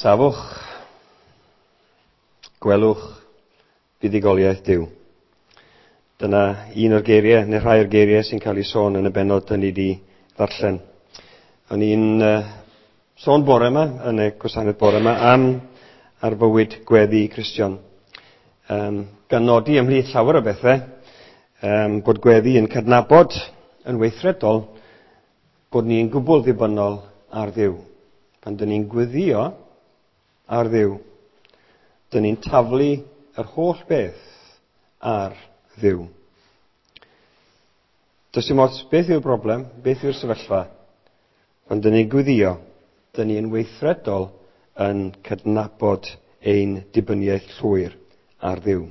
Safwch, gwelwch buddugoliaeth Duw. Dyna un o'r geiriau, neu rhai o'r geiriau sy'n cael ei sôn yn y bennod dyn ni wedi ddarllen. O'n i'n sôn bore yma, yn y gwasanaeth bore yma, am ar fywyd gweddi Cristion. Gan nodi ymhlith llawer o bethau, bod gweddi yn cydnabod yn weithredol bod ni'n gwbl ddibynnol ar Dduw. Pan dyn ni'n gweddio ar Dduw, dyn ni'n taflu yr holl beth ar Dduw. Does dim ots beth yw'r broblem, beth yw'r sefyllfa. Pan dyn ni'n gweddio, dyn ni'n weithredol yn cydnabod ein dibyniaeth llwyr ar Dduw.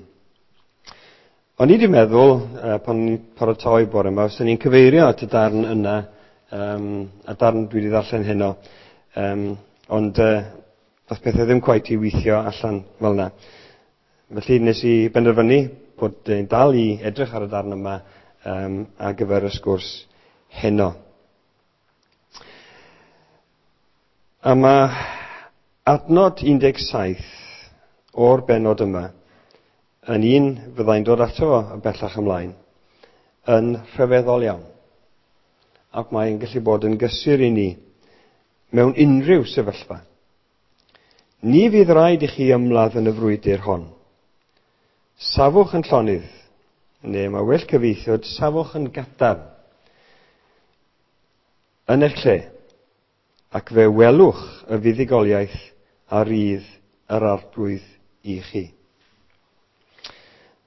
O'n i wedi meddwl, pan o'n i'n paratoi bore yma, os o'n i'n cyfeirio at y darn yna, a darn dwi wedi ddarllen heno, ond dath pethau ddim cweit i weithio allan fel yna. Felly nes i benderfynu bod yn dal i edrych ar y darn yma ar gyfer y sgwrs heno. A mae adnod 17 o'r bennod yma yn un fyddai'n dod ato fo yn bellach ymlaen, yn rhyfeddol iawn. Ac mae'n gallu bod yn gysur i ni mewn unrhyw sefyllfa. Ni fydd rhaid i chi ymladd yn y frwydr hon. Safwch yn llonydd, neu mae well cyfieithiad, safwch yn gadarn yn eich lle, ac fe welwch y fuddugoliaeth a rydd yr Arglwydd i chi.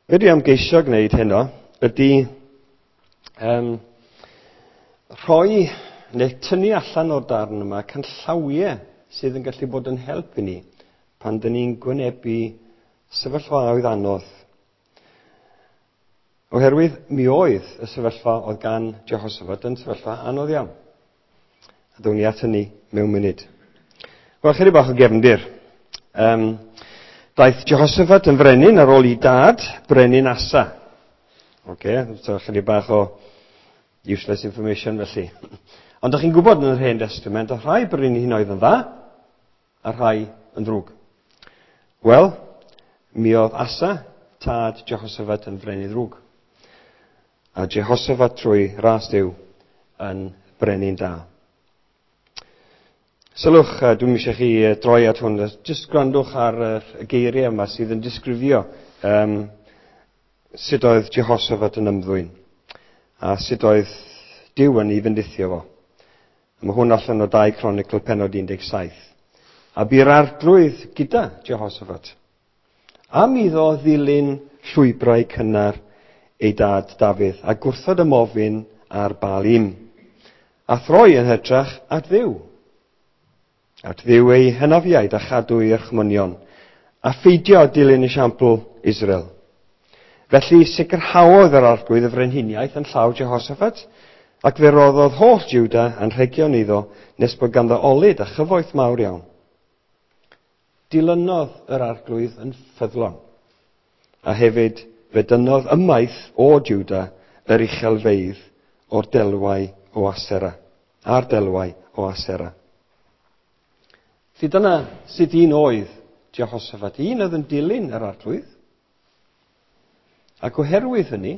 Be dwi am geisio gwneud heno ydy rhoi neu tynnu allan o'r darn yma canllawiau sydd yn gallu bod yn help i ni pan dyn ni'n gwynebu sefyllfaoedd anodd. Oherwydd mi oedd y sefyllfa oedd gan Jehoshaphat yn sefyllfa anodd iawn. A down ni at hynny mewn munud. Wel, chydig bach o gefndir. Daeth Jehoshaphat yn frenin ar ôl i dad, brenin Asa. Oce, so chydig bach o useless information felly. Ond ydych chi'n gwybod yn yr Hen Testament, oedd rhai brenhinoedd yn dda, a rhai yn ddrwg. Wel, mi oedd Asa, tad Jehoshaphat, yn frenin ddrwg. A Jehoshaphat trwy ras Duw yn brenin da. Sylwch, dwi'm eisiau chi droi at hwn, jyst gwrandwch ar y geiriau yma sydd yn disgrifio sut oedd Jehoshaphat yn ymddwyn a sut oedd Duw yn ei fendithio fo. A mae hwn allan o 2 Cronicl pennod 17. A bu'r Arglwydd gyda Jehoshaphat am iddo ddilyn llwybrau cynnar ei dad Dafydd a gwrthod ymofyn ar Baalim, a throi yn hytrach at Dduw. At Dduw ei hynafiaid a chadw ei orchmynion, a pheidio dilyn esiampl Israel. Felly sicrhaodd yr Arglwydd y frenhiniaeth yn llaw Jehoshaphat, ac fe roddodd holl Juda anrhegion iddo nes bod ganddo olud a chyfoeth mawr iawn. Dilynodd yr Arglwydd yn ffyddlon, a hefyd fe dynnodd ymaith o Juda yr uchelfeydd o'r delwau o Asera, a'r delwau o Asera. Felly dyna sut un oedd Jehoshaphat, un oedd yn dilyn yr Arglwydd. Ac oherwydd hynny,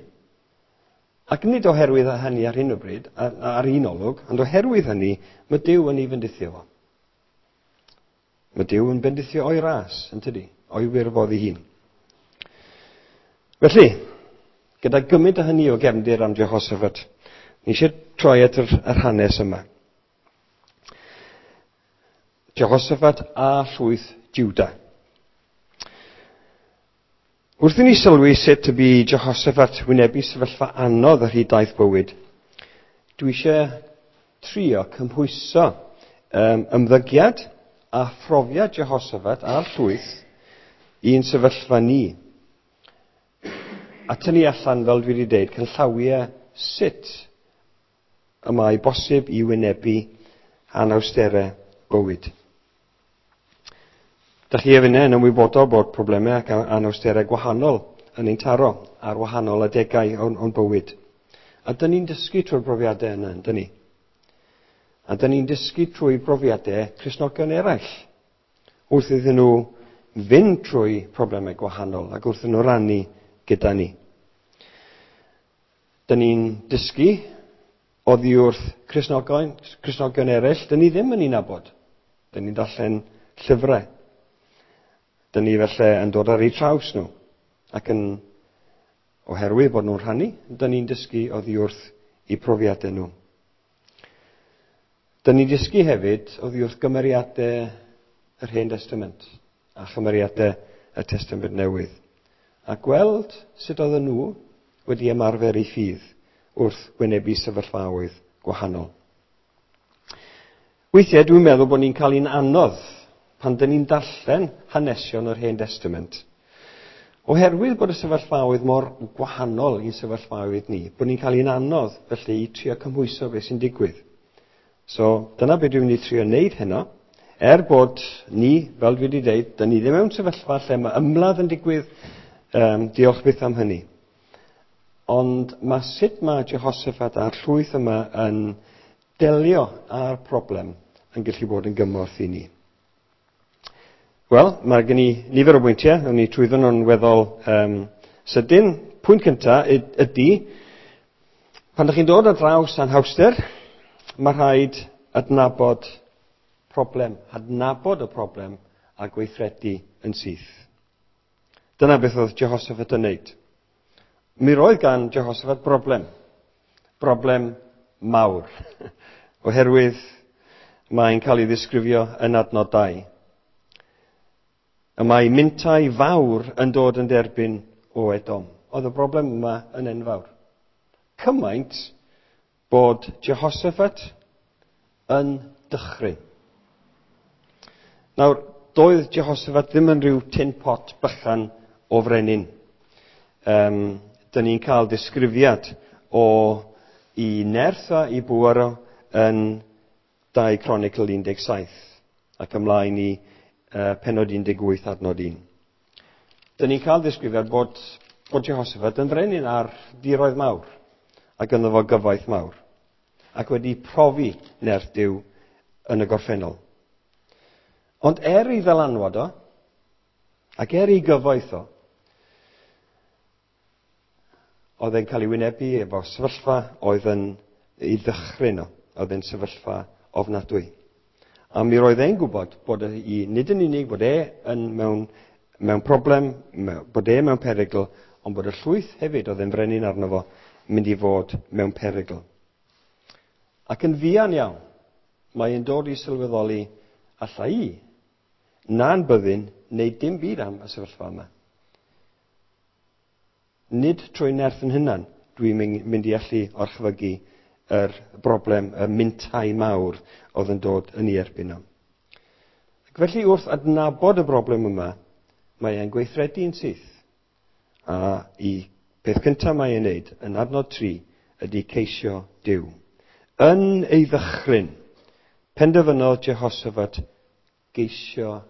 ac nid oherwydd hynny ar hyn o bryd, ar un olwg, ond oherwydd hynny, mae Duw yn ei fendithio fo. Mae Duw yn bendithio o'i ras, yn tydi, o'i wirfodd ei hun. Felly, gyda gymaint o hynny o gefndir am Jehoshaphat, ni eisiau troi at yr hanes yma. Jehoshaphat a llwyth Juda. Wrth i ni sylwi sut y bu Jehoshaphat wynebu sefyllfa anodd ar hyd daith bywyd, dwi eisiau trio cymhwyso ymddygiad a phrofiad Jehoshaphat a'r llwyth i'n sefyllfa ni. A tynnu allan, fel dwi wedi dweud, canllawiau sut y mae bosib i wynebu anawsterau bywyd. Dach chi a finne yn ymwybodol bod problemau ac anawsterau gwahanol yn ein taro ar wahanol adegau o'n bywyd. A dyn ni'n dysgu trwy'r brofiadau yna, yndyn ni? A dyn ni'n dysgu trwy brofiadau Cristnogion eraill. Wrth iddyn nhw fynd trwy problemau gwahanol ac wrth iddyn nhw rannu gyda ni. Dyn ni'n dysgu oddi wrth Cristnogion eraill, dyn ni ddim yn ei nabod. Dyn ni'n darllen llyfrau. Dyn ni felly yn dod ar eu traws nhw. Ac yn oherwydd bod nhw'n rhannu, dyn ni'n dysgu oddi wrth eu profiadau nhw. Dyn ni'n dysgu hefyd oddi wrth gymeriadau yr Hen Testament a chymeriadau y Testament Newydd. A gweld sut oedden nhw wedi ymarfer eu ffydd wrth wynebu sefyllfaoedd gwahanol. Weithiau dwi'n meddwl bod ni'n cael un anodd pan dyn ni'n darllen hanesion yr Hen Testament. Oherwydd bod y sefyllfaoedd mor gwahanol i'n sefyllfaoedd ni, bod ni'n cael un anodd felly i trio cymhwyso beth sy'n digwydd. So dyna beth dwi'n mynd i trio wneud heno. Er bod ni, fel dwi wedi dweud, dyn ni ddim mewn sefyllfa lle mae ymladd yn digwydd, diolch byth am hynny. Ond mae sut mae Jehoshaphat a'r llwyth yma yn delio â'r problem yn gallu bod yn gymorth i ni. Wel, mae gen i nifer o bwyntiau, awn ni trwyddo nhw'n weddol sydyn. Pwynt cyntaf ydy, pan ydych chi'n dod ar draws anhawster, mae rhaid adnabod problem, adnabod y problem a gweithredu yn syth. Dyna beth oedd Jehoshaphat yn wneud. Mi roedd gan Jehoshaphat broblem. Broblem mawr. Oherwydd mae'n cael ei ddisgrifio yn adnod 2. Y mae mintai fawr yn dod yn derbyn o Edom. Oedd y broblem yma yn enfawr. Cymaint bod Jehoshaphat yn dychryn. Nawr, doedd Jehoshaphat ddim yn rhyw tin pot bychan o frenin. Dyn ni'n cael disgrifiad o i nerth a i bŵer o yn 2 Cronicl 17 ac ymlaen i penod 18 adnod 1. Dyn ni'n cael disgrifiad bod Jehoshaphat yn frenin ar diroedd mawr ac ynddo fo gyfoeth mawr ac wedi profi nerth Duw yn y gorffennol. Ond er ei ddylanwad o ac er ei gyfoeth o, oedd e'n cael ei wynebu efo sefyllfa oedd yn ei ddychryn o, oedd e'n sefyllfa ofnadwy. A mi roedd e'n gwybod bod e, nid yn unig bod e yn mewn problem, bod e mewn perygl, ond bod y llwyth hefyd oedd e'n frenin arno fo mynd i fod mewn perygl. Ac yn fuan iawn, mae e'n dod i sylweddoli alla i na'n byddin neu dim byd am y sefyllfa yma. Nid trwy nerth yn hunan dwi'n mynd i allu orchfygu yr broblem, y mintai mawr oedd yn dod yn ei erbyn o. Ac felly wrth adnabod y broblem yma, mae e'n gweithredu'n syth. A i peth cyntaf mae e'n neud yn adnod 3 ydy ceisio Duw. Yn ei ddychryn, penderfynodd Jehoshaphat geisio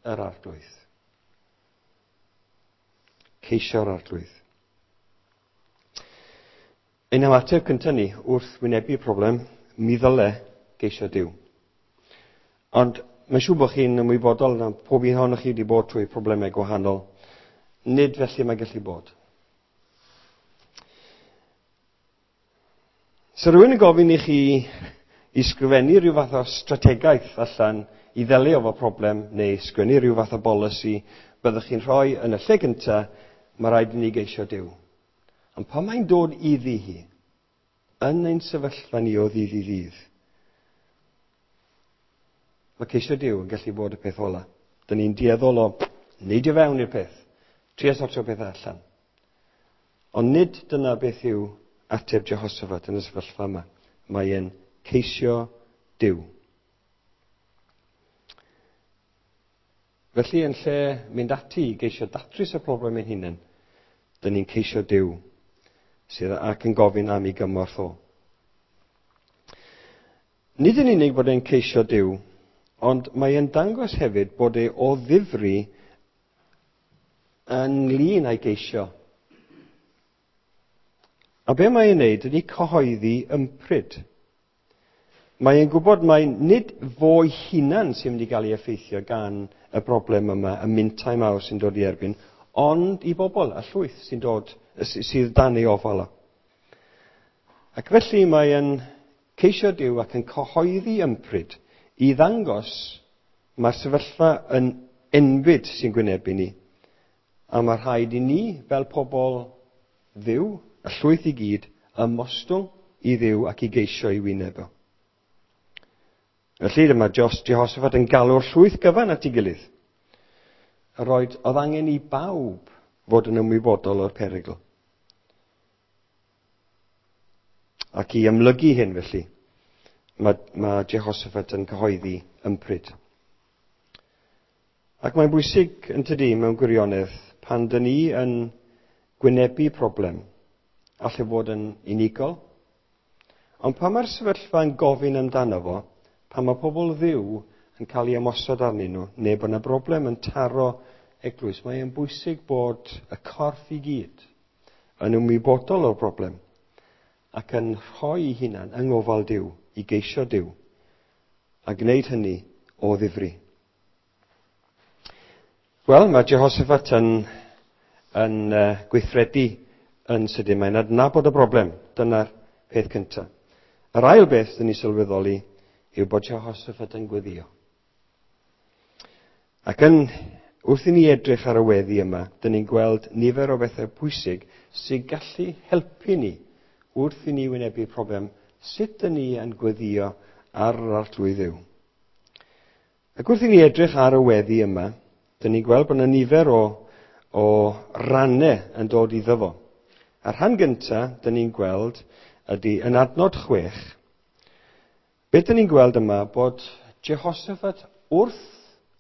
yr Arglwydd. Ceisio'r Arglwydd. Ein ymateb cyntaf ni wrth wynebu problem, mi ddyle geisio Duw. Ond mae'n siŵr bod chi'n ymwybodol na pob un ohonoch chi wedi bod trwy problemau gwahanol. Nid felly mae gallu bod. So rhywun yn gofyn i chi i sgrifennu rhyw fath o strategaeth allan i ddelio efo problem neu sgwennu rhyw fath o bolisi byddwch chi'n rhoi yn y lle gyntaf, mae rhaid i ni geisio Duw. Ond pan mae'n dod iddi hi, yn ein sefyllfa ni o ddydd i ddydd, mae ceisio Duw yn gallu bod y peth ola. Dyn ni'n dueddol o neidio fewn i'r peth, trio sortio pethau allan. Ond nid dyna beth yw ateb Jehoshaphat yn y sefyllfa yma. Mae e'n ceisio Duw. Felly yn lle mynd ati i geisio datrys y problem ein hunain, dyn ni'n ceisio Duw sydd ac yn gofyn am ei gymorth o. Nid yn unig bod e'n ceisio Duw, ond mae e'n dangos hefyd bod e o ddifri ynglyn â'i geisio. A be mae e'n neud ydy cyhoeddi ympryd. Mae e'n gwybod mai nid fo'i hunan sy'n mynd i gael ei effeithio gan y broblem yma, y mintai mawr sy'n dod i erbyn, ond i bobl, y llwyth sy'n dod, sydd dan ei ofal o. Ac felly mae e'n ceisio Duw ac yn cyhoeddi ympryd i ddangos mae'r sefyllfa yn enbyd sy'n gwynebu ni. A mae rhaid i ni, fel pobl Dduw, y llwyth i gyd, ymostwng i Dduw ac i geisio ei wyneb o. Felly dyma Jehoshaphat yn galw'r llwyth gyfan at ei gilydd. A roed oedd angen i bawb fod yn ymwybodol o'r perygl. Ac i ymlygu hyn felly, mae Jehoshaphat yn cyhoeddi ympryd. Ac mae'n bwysig yn tydi mewn gwirionedd pan dyn ni yn gwynebu problem, allai fod yn unigol, ond pan mae'r sefyllfa yn gofyn amdano fo, pan mae pobl Dduw yn cael ei ymosod arnyn nhw, neu bod yna broblem yn taro eglwys, mae'n bwysig bod y corff i gyd yn ymwybodol o'r broblem ac yn rhoi ei hunan yng ngofal Duw i geisio Duw a gwneud hynny o ddifri. Wel, mae Jehoshaphat yn gweithredu yn sydyn. Mae'n adnabod y broblem. Dyna'r peth cyntaf. Yr ail beth dyn ni sylweddoli yw bod Jehoshaphat yn gweddio. Ac wrth i ni edrych ar y weddi yma, dyn ni'n gweld nifer o bethau pwysig sy'n gallu helpu ni wrth i ni wynebu problem sut dyn ni yn gweddio ar yr Arglwydd Dduw. Ac wrth i ni edrych ar y weddi yma, dyn ni'n gweld bod yna nifer o rannau yn dod iddo fo. A'r rhan gyntaf, dyn ni'n gweld, ydy yn adnod 6. Beth dyn ni'n gweld yma bod Jehoshaphat wrth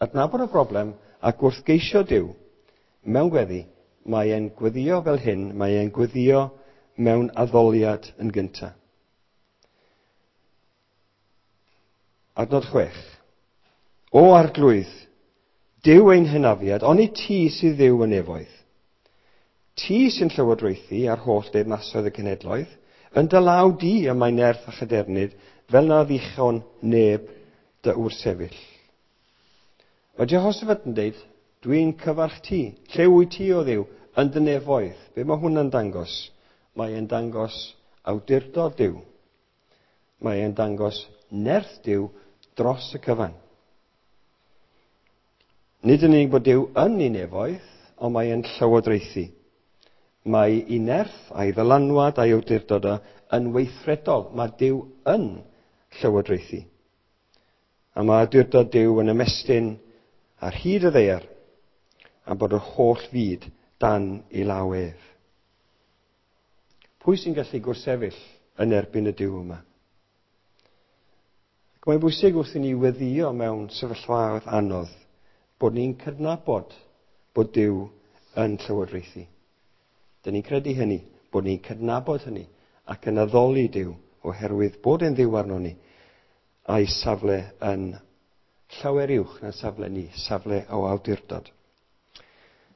adnabod y broblem ac wrth geisio Duw mewn gweddi, mae e'n gweddio fel hyn, mae e'n gweddio mewn addoliad yn gyntaf. Adnod 6. O Arglwydd, Duw ein hynafiad, onid ti sydd Dduw yn nefoedd. Ti sy'n llywodraethu ar holl deyrnasoedd y cenhedloedd, yn dy law di y mae nerth a chadernid, fel na ddichon neb dy wrthsefyll. Mae Jehoshaphat yn deud, dwi'n cyfarch ti, lle wyt ti o Dduw, yn dy nefoedd. Be mae hwnna'n dangos? Mae e'n dangos awdurdod Duw. Mae e'n dangos nerth Duw dros y cyfan. Nid yn unig bod Duw yn ei nefoedd, ond mae e'n llywodraethu. Mae ei nerth a'i ddylanwad a'i awdurdod o yn weithredol. Mae Duw yn llywodraethu. A mae awdurdod Duw yn ymestyn ar hyd y ddaear, a bod yr holl fyd dan ei law ef. Pwy sy'n gallu gwrthsefyll yn erbyn y Duw yma? Ac mae'n bwysig wrth i ni weddio mewn sefyllfaoedd anodd bod ni'n cydnabod bod Duw yn llywodraethu. Dyn ni'n credu hynny, bod ni'n cydnabod hynny ac yn addoli Duw oherwydd bod e'n Dduw arno ni a'i safle yn llawer uwch na safle ni, safle o awdurdod.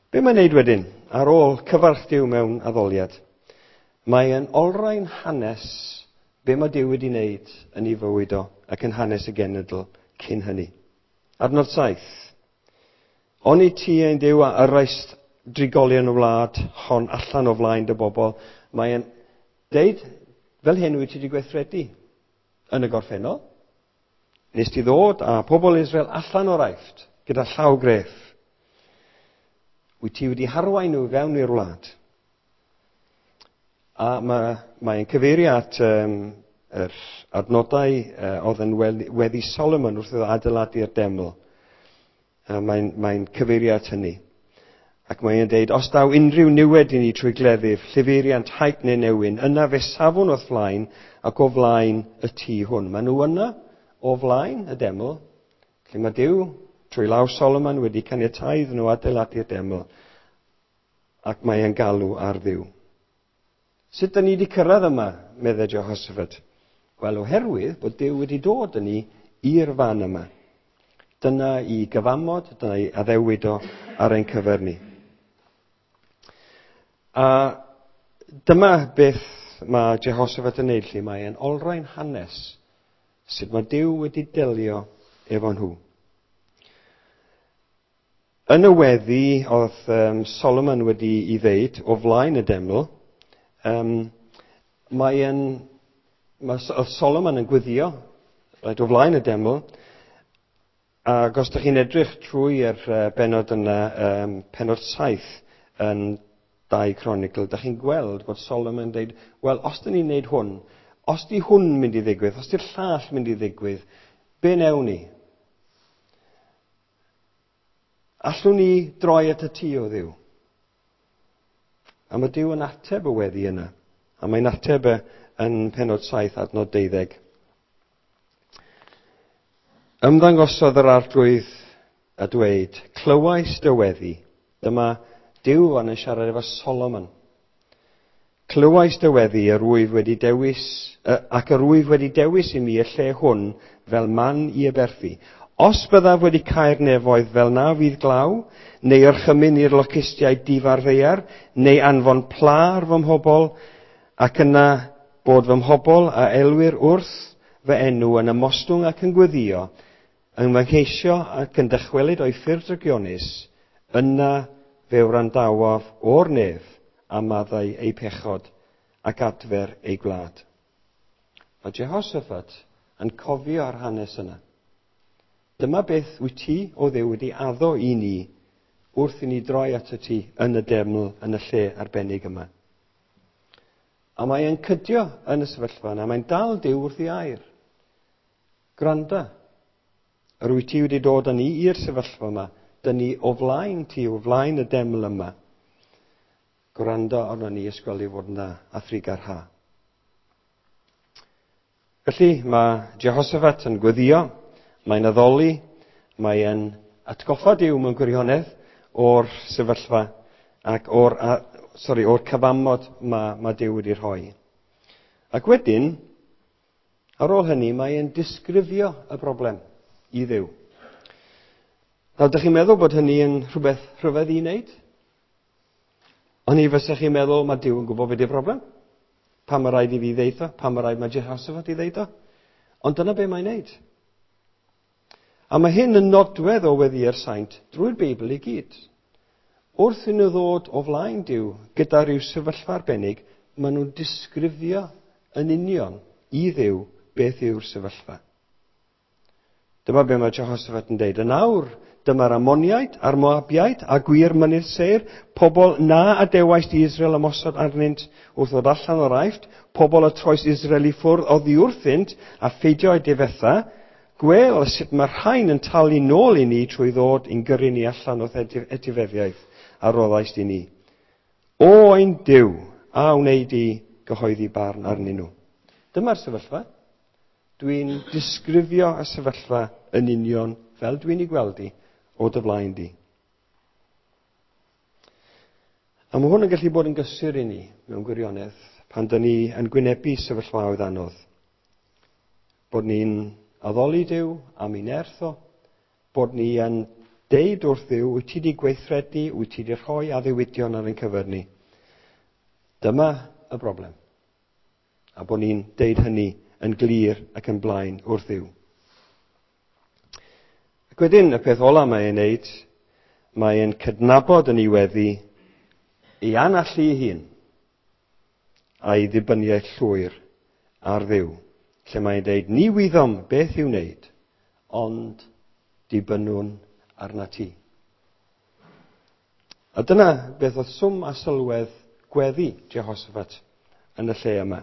Be mae'n neud wedyn, ar ôl cyfarch Duw mewn addoliad? Mae e'n olrhain hanes be mae Duw wedi wneud yn ei fywyd o ac yn hanes y genedl cyn hynny. Adnod 7. Onid ti ein Duw a yrraist drigolion y wlad hon allan o flaen dy bobl? Mae e'n deud, fel hyn wyt ti wedi gweithredu yn y gorffennol. Nes ti ddod â pobl Israel allan o'r Aifft gyda llaw gref. Wyt ti wedi harwain nhw fewn i'r wlad. A mae'n cyfeirio at yr adnodau oedd yn weddi Solomon wrth iddo adeiladu'r deml. Mae'n cyfeirio at hynny. Ac mae'n deud, os daw unrhyw niwed i ni trwy gleddyf, llifeiriant, haint neu newyn, yna fe safwn o'th flaen ac o flaen y tŷ hwn. Maen nhw yna o flaen y deml, lle mae Duw trwy law Solomon wedi caniatáu iddyn nhw adeiladu'r deml, ac mae e'n galw ar Dduw. Sut da ni wedi cyrraedd yma, meddai Jehoshaphat? Wel, oherwydd bod Duw wedi dod â ni i'r fan yma. Dyna i gyfamod, dyna i addewid o ar ein cyfer ni. A dyma beth mae Jehoshaphat yn neud, lle mae e'n olrhain hanes Sut mae Duw wedi delio efo nhw. Yn y weddi oedd Solomon wedi i ddeud o flaen y deml, oedd Solomon yn gweddio reit, o flaen y deml, ac os ydych chi'n edrych trwy'r bennod yna, pennod 7 yn 2 Cronicl, ydych chi'n gweld bod Solomon yn dweud, wel, os dyn ni'n neud hwn, os di hwn mynd i ddigwydd, os di'r llall mynd i ddigwydd, be newn ni? Allwn ni droi at y ti o Dduw? A mae Duw yn ateb y weddi yna. A mae'n ateb yn pennod 7 adnod 12. Ymddangosodd yr Arglwydd a dweud, clywais dy weddi. Dyma Duw yn siarad efo Solomon. Clywais dy weddi, yr wyf wedi dewis, ac yr wyf wedi dewis i mi y lle hwn fel man i aberthu. Os byddaf wedi cau'r nefoedd fel na fydd glaw, neu orchymyn i'r locustiaid difa'r ddaear, neu anfon pla ar fy mhobl, ac yna bod fy mhobl a elwir wrth fy enw yn ymostwng ac yn gweddio, yn fy ngheisio ac yn dychwelyd o'i ffyrdd drygionus, yna fe wrandawaf o'r nef a maddau eu pechod ac adfer eu gwlad. Mae Jehoshaphat yn cofio'r hanes yna. Dyma beth wyt ti o Dduw wedi addo i ni wrth i ni droi at y ti yn y deml, yn y lle arbennig yma. A mae e'n cydio yn y sefyllfa yna, mae'n dal Duw wrth ei air. Gwranda, yr wyt ti wedi dod â ni i'r sefyllfa yma, dyn ni o flaen ti, o flaen y deml yma. Gwrando arno ni ysgweli fod yn dda a thrigar ha. Felly mae Jehoshaphat yn gweddio, mae'n addoli, mae'n atgoffa Duw mewn gwirionedd o'r sefyllfa ac o'r cyfamod mae Duw wedi rhoi. Ac wedyn, ar ôl hynny, mae'n disgrifio y broblem i Dduw. Nawr, dych chi'n meddwl bod hynny yn rhywbeth rhyfedd i wneud? Ond i fysech chi'n meddwl, mae Duw yn gwybod beth yw'r broblem. Pam mae rhaid i fi ddeud o? Pam mae rhaid mae Jehoshaphat i ddeud o? Ond dyna be mae'n wneud. A mae hyn yn nodwedd o weddi'r saint drwy'r Beibl i gyd. Wrth i nhw ddod o flaen Duw gyda rhyw sefyllfa arbennig, maen nhw'n disgrifio yn union i Dduw beth yw'r sefyllfa. Dyma be mae Jehoshaphat yn deud. Yn awr, dyma'r Ammoniaid a'r Moabiaid a gwir mynydd Seir, pobl na adewaist i Israel ymosod arnynt wrth ddod allan o'r Aifft, pobl y troes Israel i ffwrdd oddi wrthynt a pheidio eu difetha, gwel sut mae'r rhain yn talu nôl i ni trwy ddod i'n gyrru ni allan o'th etifeddiaeth a roddaist i ni. O ein Duw, a wneud i gyhoeddi barn arnyn nhw. Dyma'r sefyllfa. Dwi'n disgrifio y sefyllfa yn union fel dwi'n ei gweld i o dy flaen di. A mae hwn yn gallu bod yn gysur i ni mewn gwirionedd pan dyn ni yn gwynebu sefyllfaoedd anodd. Bod ni'n addoli Duw am ei nerth o, bod ni yn deud wrth Dduw, wyt ti wedi gweithredu, wyt ti wedi rhoi addewidion ar ein cyfer ni. Dyma y broblem. A bod ni'n deud hynny yn glir ac yn blaen wrth Dduw. Ac wedyn, y peth ola mae e'n neud, mae e'n cydnabod yn ei weddi ei anallu ei hun a'i ddibyniaeth llwyr ar Dduw, lle mae'n deud, ni wyddom beth i'w wneud, ond dibynnwn arna ti. A dyna beth oedd swm a sylwedd gweddi Jehoshaphat yn y lle yma.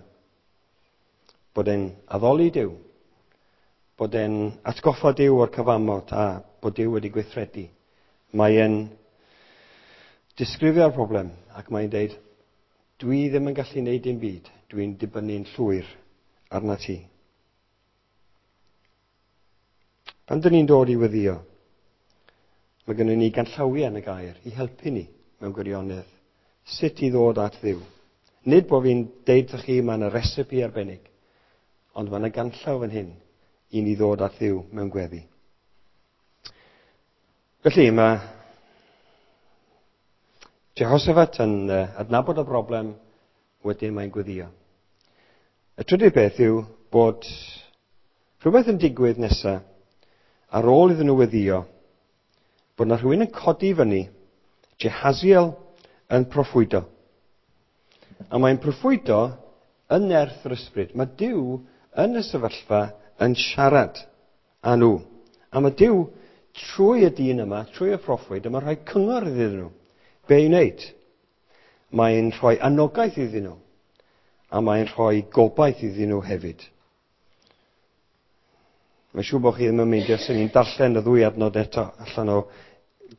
Bod e'n addoli Duw, bod e'n atgoffa Duw o'r cyfamod a bod Duw wedi gweithredu. Mae e'n disgrifio'r broblem ac mae'n deud, dwi ddim yn gallu gwneud dim byd, dwi'n dibynnu'n llwyr arna ti. Pan dyn ni'n dod i weddio, mae gennym ni ganllawiau yn y gair i helpu ni mewn gwirionedd sut i ddod at Dduw. Nid bod fi'n deud wrthych chi mae yna recipe arbennig, ond mae yna ganllaw fan hyn i ni ddod at Dduw mewn gweddi. Felly mae Jehoshaphat yn adnabod y broblem, wedyn mae'n gweddio. Y trydydd beth yw bod Rhywbeth yn digwydd nesaf, ar ôl iddyn nhw weddio, bod yna rhywun yn codi fyny, Jehaziel yn proffwydo. A mae'n proffwydo yn nerth yr ysbryd. Mae Duw yn y sefyllfa yn siarad â nhw. A mae Duw trwy y dyn yma, trwy y proffwyd, yma'n rhoi cyngor iddyn nhw. Be i wneud? Mae'n rhoi anogaeth iddyn nhw. A mae'n rhoi gobaith iddyn nhw hefyd. Mae'n siŵr bod chi ddim yn meindio sy'n ni'n darllen y ddwy adnod eto allan o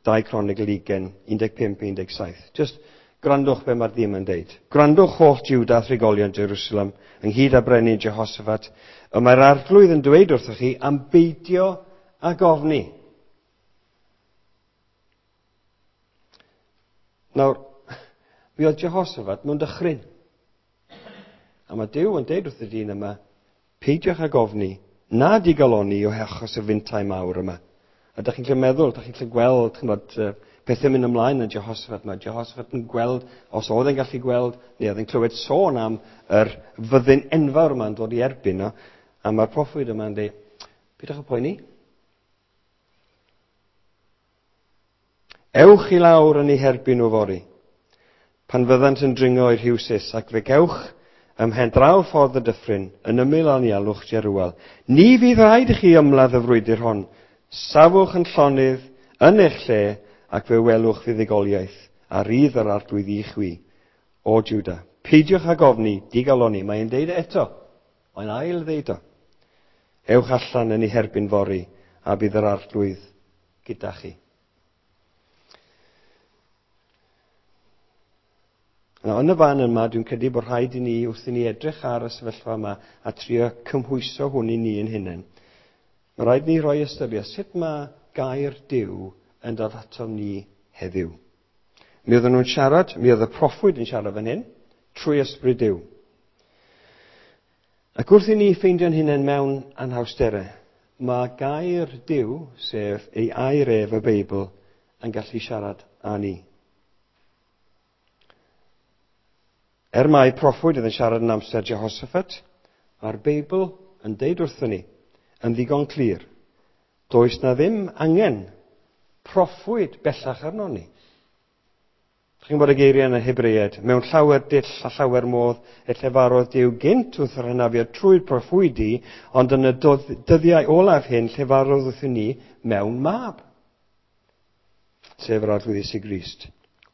2 Cronicl 20, 15-17. Just gwrandwch be mae'r ddyn yn deud. Gwrandwch holl Juda a thrigolion Jerusalem, ynghyd â brenin Jehoshaphat, y mae'r arglwydd yn dweud wrthych chi am beidio ag ofni. Nawr, mi oedd Jehoshaphat mewn dychryn. A mae Duw yn deud wrth y dyn yma, peidiwch ag ofni, na digaloni o achos y fintau mawr yma. A dych chi'n gallu meddwl, dych chi'n gallu gweld, ch'mod, pethau'n mynd ymlaen yn Jehoshaphat. Mae Jehoshaphat yn gweld, os oedd e'n gallu gweld, neu oedd e'n clywed sôn am yr fyddin enfawr yma'n dod i erbyn o, a mae'r proffwyd yma'n dweud, peidiwch â poeni. Ewch i lawr yn eu herbyn nhw fory, pan fyddant yn dringo i'r Rhiwsus, ac fe gewch ym mhen draw ffordd y dyffryn, yn ymyl anialwch Jeruel. Ni fydd rhaid i chi ymladd y frwydr hon. Safwch yn llonydd yn eich lle, ac fe welwch fuddugoliaeth a rydd yr arglwydd i chwi, o Juda. Peidiwch ag ofni, digaloni. Mae'n deud e eto. Mae'n ail ddeud o. Ewch allan yn ei herbyn fory, a bydd yr arglwydd gyda chi. Nawr, yn y fan yma, dwi'n credu bod rhaid i ni, wrth i ni edrych ar y sefyllfa yma a trio cymhwyso hwn i ni yn hunain, mae rhaid ni roi ystyriaeth sut mae gair Duw yn dod atom ni heddiw. Mi oedden nhw'n siarad, mi oedd y proffwyd yn siarad fan hyn, trwy ysbryd Duw. Ac wrth i ni ffeindio'n hunain mewn anhawsterau, mae gair Duw, sef ei air ef y Beibl, yn gallu siarad â ni. Er mai proffwyd oedd yn siarad yn amser Jehoshaphat, mae'r Beibl yn deud wrthyn ni, yn ddigon clir, does na ddim angen proffwyd bellach arnon ni. Chi'n gwybod y geiriau yn y Hebreaid, mewn llawer dull a llawer modd y llefarodd Duw gynt wrth yr hynafiad trwy'r proffwydi, ond yn y dyddiau olaf hyn llefarodd wrthyn ni mewn mab, sef yr Arglwydd Iesu Grist.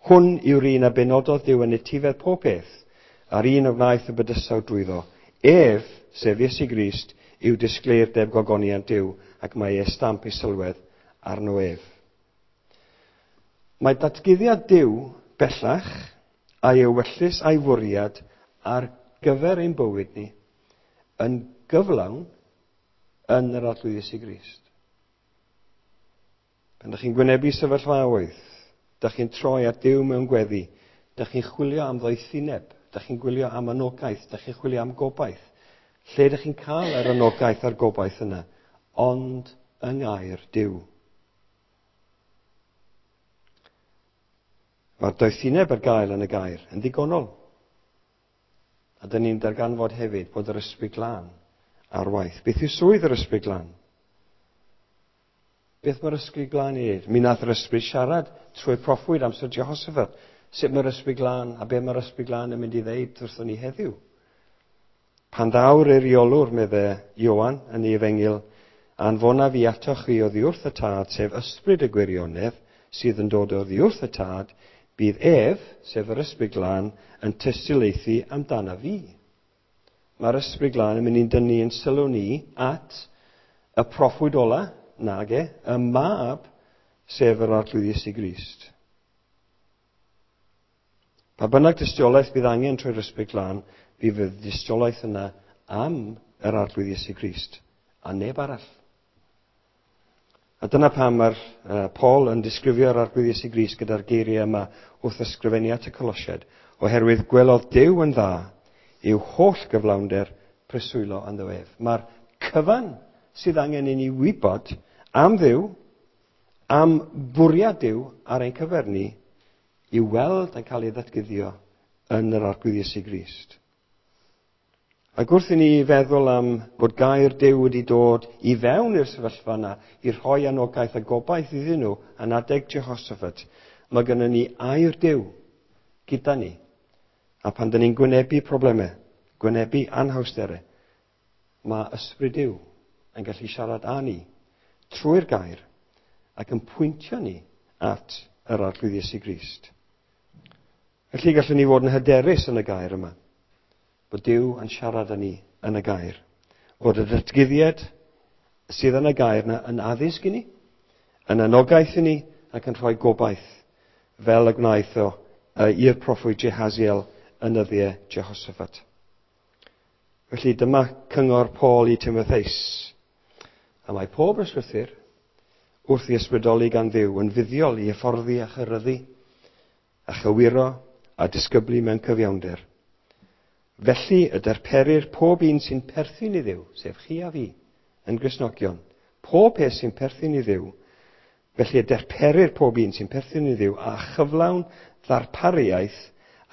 Hwn yw'r un a benododd Duw yn etifedd pob peth, a'r un a wnaeth y bydysawd drwyddo. Ef, sef Iesu Grist, yw disgleirdeb gogoniant Duw, ac mae ei stamp ei sylwedd arno ef. Mae datguddiad Duw bellach, a'i ewyllys a'i fwriad ar gyfer ein bywyd ni, yn gyflawn yn yr Arglwydd Iesu Grist. Pan ydych chi'n gwynebu sefyllfaoedd, ydych chi'n troi at Duw mewn gweddi, ydych chi'n chwilio am ddoethineb, ydych chi'n gwylio am anogaeth, ydych chi'n chwilio am gobaith. Lle ydych chi'n cael yr anogaeth a'r gobaith yna? Ond yng ngair Duw. Mae'r doethineb ar gael yn y gair yn ddigonol. A dyn ni'n darganfod hefyd bod yr Ysbryd Glân ar waith. Beth yw swydd yr Ysbryd Glân? Beth mae'r Ysbryd Glân i wneud? Mi nath yr Ysbryd siarad trwy'r proffwyd amser Jehoshaphat. Sut mae'r Ysbryd Glân a be mae'r Ysbryd Glân yn mynd i ddeud wrthon ni heddiw? Pan ddaw'r eiriolwr, medde Ioan yn ei efengyl, anfonaf fi atoch chi oddi wrth y Tad, sef Ysbryd y gwirionedd, sydd yn dod oddi wrth y Tad, bydd ef, sef yr Ysbryd Glân, yn tystiolaethu amdana fi. Mae'r Ysbryd Glân yn mynd i'n dynnu yn sylw ni at y proffwyd ola, nage, y mab, sef yr Arglwydd Iesu Grist. Pa bynnag dystiolaeth bydd angen trwy'r Ysbryd Glân, bydd y dystiolaeth yna am yr Arglwydd Iesu Grist, a neb arall. A dyna pam mae'r Paul yn disgrifio'r Arglwydd Iesu Grist gyda'r geiriau yma wrth ysgrifennu at y Colosiaid, oherwydd gwelodd Duw yn dda i'w holl gyflawnder preswylo ynddo ef. Mae'r cyfan sydd angen i ni wybod am Dduw, am fwriad Duw ar ein cyfer ni, i'w weld yn cael ei ddatguddio yn yr Arglwydd Iesu Grist. Ac wrth i ni feddwl am bod gair Duw wedi dod i fewn i'r sefyllfa yna i rhoi anogaeth a gobaith iddyn nhw yn adeg Jehoshaphat, mae gennym ni air Duw gyda ni. A pan dyn ni'n gwynebu problemau, gwynebu anhawsterau, mae ysbryd Duw yn gallu siarad â ni trwy'r gair ac yn pwyntio ni at yr Arglwydd Iesu Grist. Felly gallwn ni fod yn hyderus yn y gair yma, bod Duw yn siarad â ni yn y gair, bod y datguddiad sydd yn y gair yna yn addysg i ni, yn anogaeth i ni ac yn rhoi gobaith, fel y gwnaeth o i'r proffwyd Jehaziel yn nyddiau Jehoshaphat. Felly dyma cyngor Paul i Timotheus. A mae pob ysgrythur wrth i ysbrydoli gan Dduw yn fuddiol i hyfforddi a chyryddu, a chywiro a disgyblu mewn cyfiawnder. Felly y darperir pob un sy'n perthyn i Dduw, sef chi a fi, yn Gristnogion, pob peth sy'n perthyn i Dduw, felly y darperir pob un sy'n perthyn i Dduw a chyflawn ddarpariaeth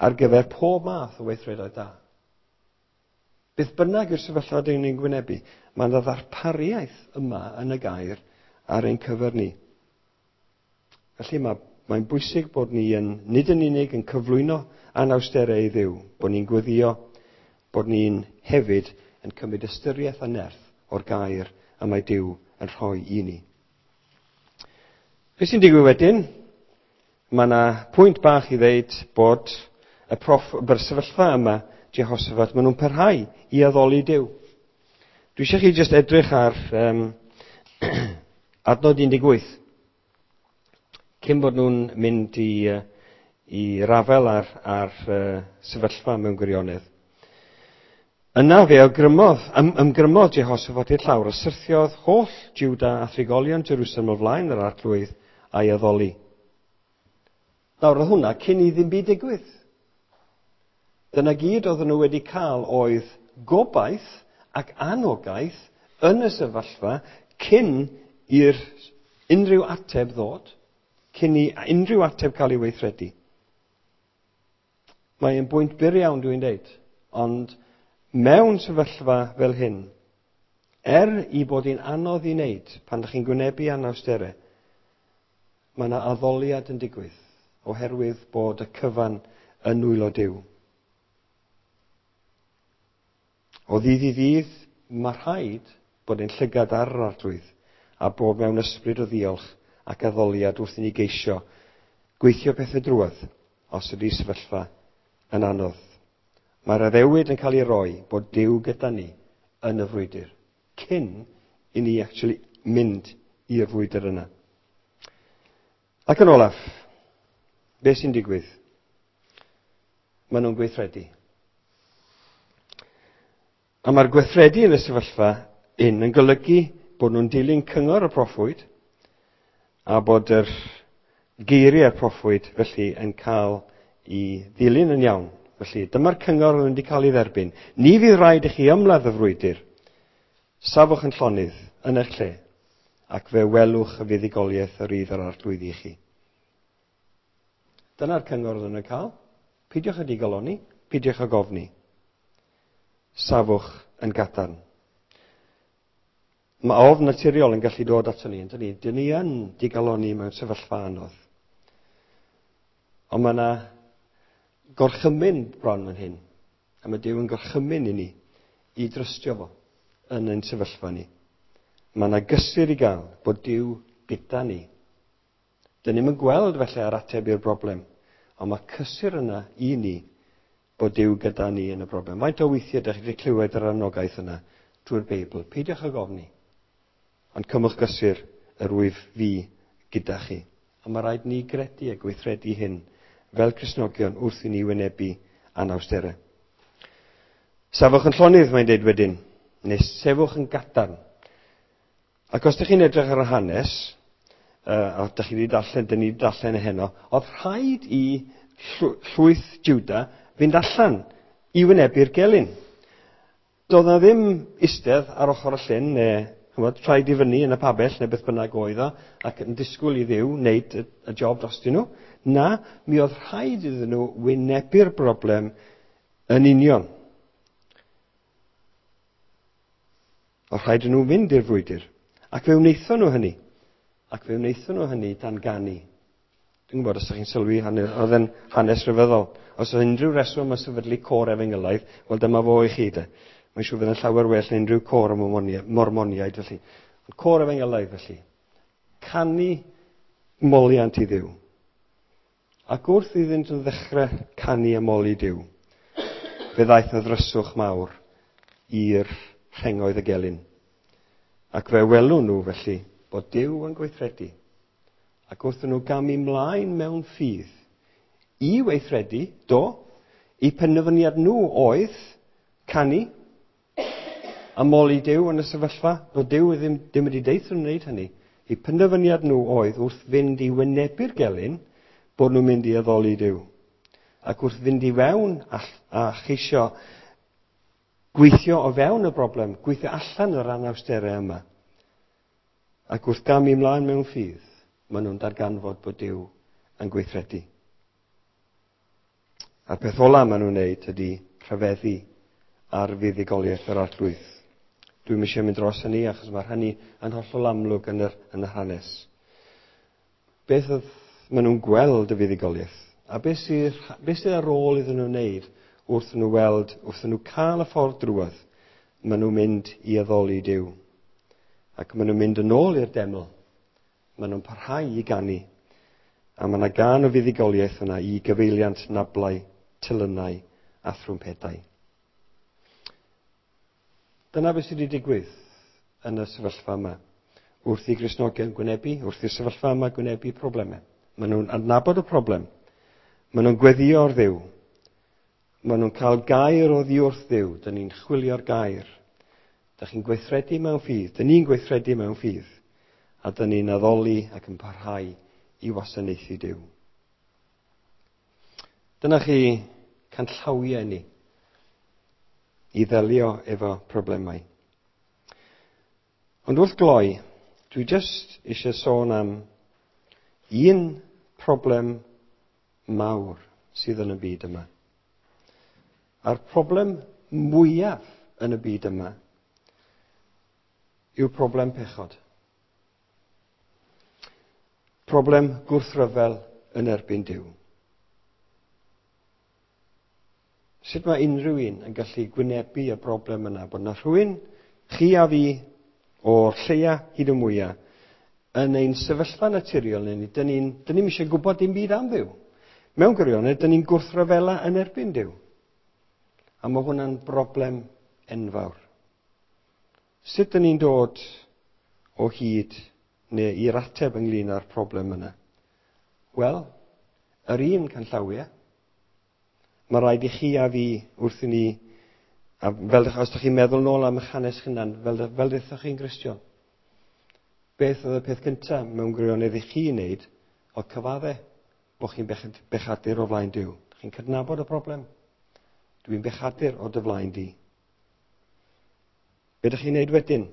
ar gyfer pob math o weithredoedd da. Beth bynnag yw'r sefyllfa dyn ni'n gwynebu, mae yna ddarpariaeth yma yn y gair ar ein cyfer ni. Felly mae'n bwysig bod ni yn, nid yn unig yn cyflwyno anawsterau i Dduw, bod ni'n gweddio, bod ni'n hefyd yn cymryd ystyriaeth a nerth o'r gair y mae Duw yn rhoi i ni. Beth sy'n digwydd wedyn? Mae yna pwynt bach i ddeud bod y sefyllfa yma, Jehoshaphat, maen nhw'n parhau i addoli Duw. Dwi eisiau chi jyst edrych ar adnod 18. Cyn bod nhw'n mynd i rafel ar sefyllfa mewn gwirionedd. Yna fe ymgrymodd Jehoshaphat i'r llawr a syrthiodd holl Juda a thrigolion Jerusalem o flaen yr Arglwydd a'i addoli. Nawr, oedd hwnna cyn i ddim byd digwydd. Dyna gyd oedden nhw wedi cael oedd gobaith ac anogaeth yn y sefyllfa cyn i'r unrhyw ateb ddod, cyn i unrhyw ateb cael ei weithredu. Mae'n bwynt byr iawn dwi'n deud, ond mewn sefyllfa fel hyn, i bod hi'n anodd i wneud pan ydych chi'n gwynebu anawsterau, mae yna addoliad yn digwydd oherwydd bod y cyfan yn nwylo Duw. O ddydd i ddydd, mae rhaid bod ein llygad ar yr Arglwydd a bod mewn ysbryd o ddiolch ac addoliad wrth i ni geisio gweithio pethau drwodd os ydy sefyllfa yn anodd. Mae'r addewid yn cael ei roi bod Duw gyda ni yn y frwydr, cyn i ni actually mynd i'r frwydr yna. Ac yn olaf, beth sy'n digwydd? Maen nhw'n gweithredu. A mae'r gweithredu yn y sefyllfa hyn yn golygu bod nhw'n dilyn cyngor y proffwyd a bod yr geiriau'r proffwyd felly yn cael ei ddilyn yn iawn. Felly dyma'r cyngor oedd wedi cael ei dderbyn. Ni fydd rhaid i chi ymladd y frwydr. Safwch yn llonydd yn eich lle ac fe welwch y fuddugoliaeth yr rydd yr Arglwydd i chi. Dyna'r cyngor oedd yn cael. Peidiwch â digalonni, peidiwch â gofni. Safwch yn gadarn. Mae ofn naturiol yn gallu dod ato ni, yndyn ni? Dyn ni yn digalonni mewn sefyllfa anodd. Ond mae yna gorchymyn bron fan hyn. A mae Duw yn gorchymyn i ni i drystio fo yn ein sefyllfa ni. Mae yna gysur i gael bod Duw gyda ni. Dyn ni'm yn gweld felly ar ateb i'r broblem, ond mae cysur yna i ni bod Duw gyda ni yn y broblem. Faint o weithiau ydych chi wedi clywed yr anogaeth yna drwy'r Beibl? Peidiwch ag ofni, ond cymwch gysur yr wyf fi gyda chi. A mae rhaid ni gredu a gweithredu hyn fel Cristnogion wrth i ni wynebu anawsterau. Safwch yn llonydd, mae'n deud wedyn, neu sefwch yn gadarn. Ac os ydych chi'n edrych ar y hanes, a ydych chi wedi darllen, dyn ni wedi darllen heno, oedd rhaid i llwyth Juda fynd allan i wynebu'r gelyn. Doedd na ddim eistedd ar ochr y llyn, neu chymod, rhaid i fyny yn y pabell, neu beth bynnag oedd o, ac yn disgwyl i Dduw wneud y job drostyn nhw. Na, mi oedd rhaid iddyn nhw wynebu'r broblem yn union. Oedd rhaid i nhw fynd i'r frwydr. Ac fe wnaethon nhw hynny. Ac fe wnaethon nhw hynny dan ganu. Dwi'n gwybod os ydych chi'n sylwi, oedd yn hanes rhyfeddol. Os oedd unrhyw reswm am sefydlu côr efengylaidd, wel dyma fo i chi de. Mae'n siŵr fydd yn llawer well na unrhyw côr o Mormoniaid felly. Ond côr efengylaidd felly. Canu moliant i Dduw. Ac wrth iddynt yn ddechrau canu a moli Duw, fe ddaeth y ddryswch mawr i'r rhengoedd y gelyn. Ac fe welwn nhw felly bod Duw yn gweithredu. Ac wrth nhw gamu mlaen mewn ffydd i weithredu, do, eu penderfyniad nhw oedd canu a moli Duw yn y sefyllfa, bod Duw ddim wedi deud nhw'n wneud hynny. Eu penderfyniad nhw oedd wrth fynd i wynebu'r gelyn, bod nhw'n mynd i addoli Duw. Ac wrth fynd i fewn a cheisio gweithio o fewn y broblem, gweithio allan yr anawsterau yma. Ac wrth gamu ymlaen mewn ffydd, maen nhw'n darganfod bod Duw yn gweithredu. A'r peth ola maen nhw'n wneud ydy rhyfeddu ar fuddugoliaeth yr Arglwydd. Dwi'm eisiau mynd dros hynny achos mae hynny yn hollol amlwg yn yr hanes. Beth oedd maen nhw'n gweld y fuddugoliaeth? A beth sydd ar ôl iddyn nhw wneud wrth nhw weld, wrth nhw cael y ffordd drwodd, maen nhw'n mynd i addoli Duw. Ac maen nhw'n mynd yn ôl i'r deml. Maen nhw'n parhau i ganu. A mae yna gân o fuddugoliaeth yna i gyfeiliant nablau, telynau a thrwmpedau. Dyna beth sydd wedi digwydd yn y sefyllfa yma. Wrth i Gristnogion gwynebu, wrth i'r sefyllfa yma gwynebu problemau. Maen nhw'n adnabod y problem. Maen nhw'n gweddio ar Dduw. Maen nhw'n cael gair oddi wrth Dduw. Dyn ni'n chwilio'r gair. Dych chi'n gweithredu mewn ffydd. Dyn ni'n gweithredu mewn ffydd. A dyn ni'n addoli ac yn parhau i wasanaethu Duw. Dyna chi canllawiau ni i ddelio efo problemau. Ond wrth gloi, dwi jyst eisiau sôn am un problem mawr sydd yn y byd yma. A'r problem mwyaf yn y byd yma yw problem pechod. Problem gwrthryfel yn erbyn Duw. Sut mae unrhyw un yn gallu gwynebu y broblem yna? Bod yna rhywun, chi a fi, o'r lleia hyd y mwyaf, yn ein sefyllfa naturiol ni, dyn ni'm eisiau gwybod dim byd am Dduw. Mewn gwirionedd, dyn ni'n gwrthryfela yn erbyn Duw. A mae hwnna'n broblem enfawr. Sut dyn ni'n dod o hyd neu i'r ateb ynglyn â'r problem yna? Wel, yr un canllawiau. Mae rhaid i chi a fi wrth i ni, a fel os ydych chi'n meddwl nôl am eich hanes hunan, fel ddethoch chi'n Gristion, beth oedd y peth cyntaf mewn gwirionedd i chi wneud oedd cyfadde bod chi'n bechadur o flaen Duw. Chi'n cydnabod y broblem. Dwi'n bechadur o dy flaen di. Be ydych chi'n wneud wedyn?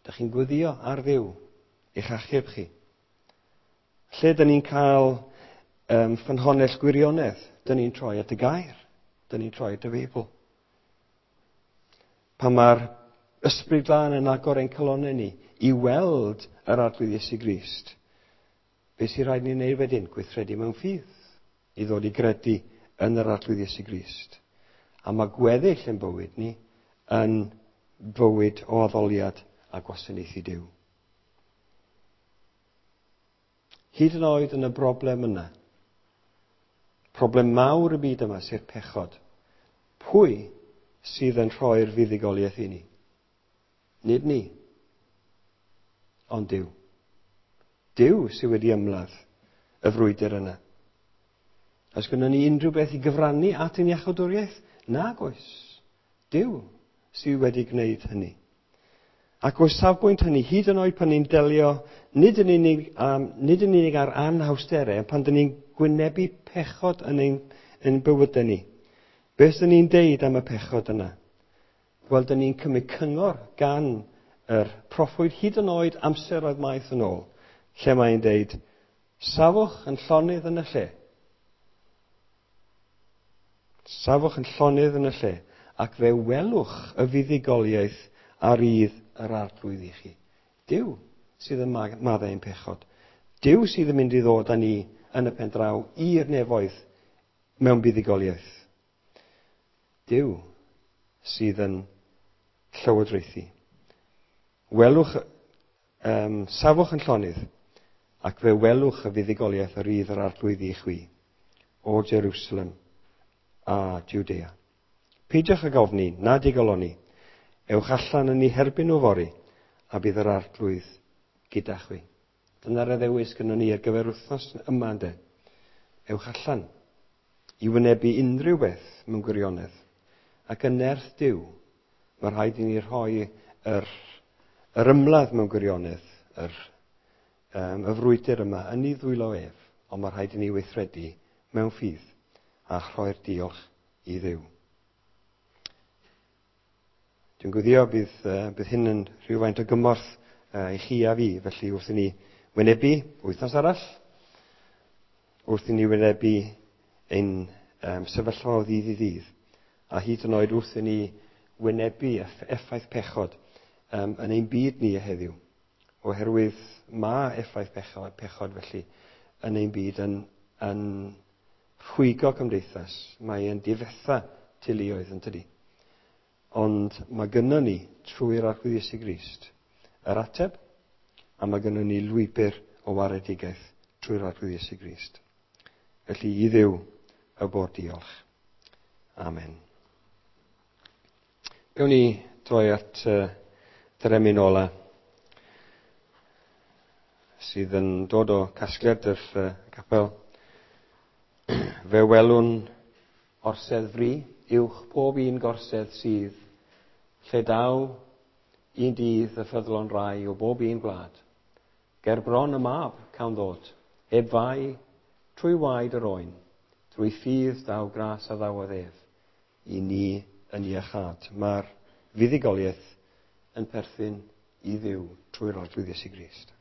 Ydych chi'n gweddio ar Dduw eich achub chi. Lle dyn ni'n cael ffynhonnell gwirionedd, dyn ni'n troi at y gair, dyn ni'n troi at y Beibl. Pan mae'r Ysbryd Glân yn agor ein calonnau ni i weld yr Arglwydd Iesu Grist, beth sy'n rhaid ni wneud wedyn? Gweithredu mewn ffydd i ddod i gredu yn yr Arglwydd Iesu Grist. A mae gweddill yn bywyd ni yn bywyd o addoliad a gwasanaethu Duw. Hyd yn oed yn y broblem yna, problem mawr y byd yma, sef pechod, pwy sydd yn rhoi'r fuddugoliaeth i ni? Nid ni, ond Duw. Duw sydd wedi ymladd y frwydr yna. Oes gynnon ni unrhyw beth i gyfrannu at ein iachawdwriaeth? Nag oes. Duw sydd wedi gwneud hynny. Ac o safbwynt hynny, hyd yn oed pan ni'n delio nid yn unig ar anhawsterau, pan dyn ni'n gwynebu pechod yn ein bywydau ni. Beth dyn ni'n deud am y pechod yna? Wel, dyn ni'n cymryd cyngor gan yr proffwyd hyd yn oed amseroedd maith yn ôl, lle mae'n deud, safwch yn llonydd yn y lle. Safwch yn llonydd yn y lle, ac fe welwch y fuddugoliaeth a rydd yr arglwydd i chi. Duw sydd yn maddau ein pechod. Duw sydd yn mynd i ddod â ni yn y pen draw i'r nefoedd mewn buddugoliaeth. Duw sydd yn llywodraethu. Welwch, safwch yn llonydd, ac fe welwch y fuddugoliaeth yr rydd yr arglwydd i chwi, o Jerusalem a Judea. Peidiwch ag ofni, na digalonni. Ewch allan yn eu herbyn nhw fory, a bydd yr arglwydd gyda chwi. Dyna'r addewis gynnon ni ar gyfer wythnos yma, ynde. Ewch allan i wynebu unrhyw beth mewn gwirionedd. Ac yn nerth Duw, mae rhaid i ni rhoi yr ymladd mewn gwirionedd, y frwydr yma yn ei ddwylo ef, ond mae rhaid i ni weithredu mewn ffydd a rhoi'r diolch i Dduw. Dwi'n gwyddio bydd hyn yn rhywfaint o gymorth i chi a fi, felly wrth i ni wynebu wythnos arall, wrth i ni wynebu ein sefyllfa o ddydd i ddydd, a hyd yn oed wrth i ni wynebu effaith pechod yn ein byd ni heddiw, oherwydd mae effaith pechod felly yn ein byd yn rhwygo cymdeithas, mae e'n difetha teuluoedd yn tydi. Ond mae gynnon ni, trwy'r Arglwydd Iesu Grist, yr ateb, a mae gynnon ni lwybr o waredigaeth trwy'r Arglwydd Iesu Grist. Felly i Dduw y bo'r diolch. Amen. Gawn ni droi at yr emyn ola sydd yn dod o casgliad yr capel. Fe welwn orsedd fri, uwch pob un gorsedd sydd, lle daw un dydd y ffyddlon rai o bob un gwlad. Ger bron y mab cawn ddod, heb fai, trwy waed yr oen, drwy ffydd daw gras a ddawodd ef, i ni yn iachâd. Mae'r fuddugoliaeth yn perthyn i Dduw trwy'r Arglwydd Iesu Grist.